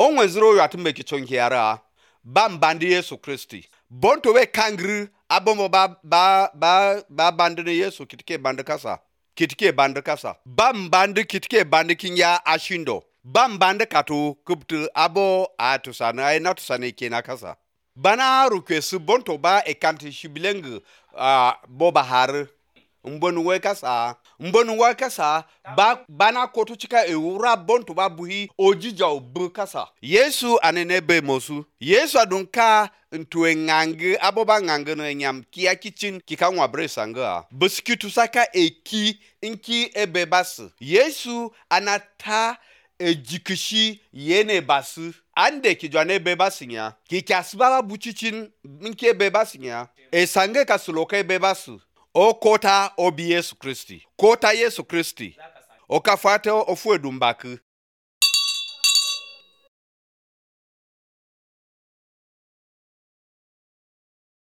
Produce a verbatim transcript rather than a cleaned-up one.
onwe zero yatu meki chonkiara bam bandi Yesu Kristi bonto we kangri abomo ba ba ba ba bandine Yesu kitike bandi kasa kitike bandi kasa bam bandi kitike bandi kinya ashindo bam bandi katu kubtu abo atusana ay natusana kena kasa bana rukwesu bonto ba ekanti shibileng uh, boba har mbonu we kasa mbonu we kasa ba bana kotu chika ewura bonto ba buhi ojija obu kasa Yesu anene be mosu Yesu adunka ntwe ngange aboba ngange no nyam kia kitchen kika nwa bresanga buskitu saka eki inki ebebas Yesu anata ejikishi yene basu ande kijwane bebasinya kikasbaba buchichin minke bebasinya esange kasuloke bebasu o kota obi Yesu Kristi kota Yesu Kristi okafate ofuedumbaki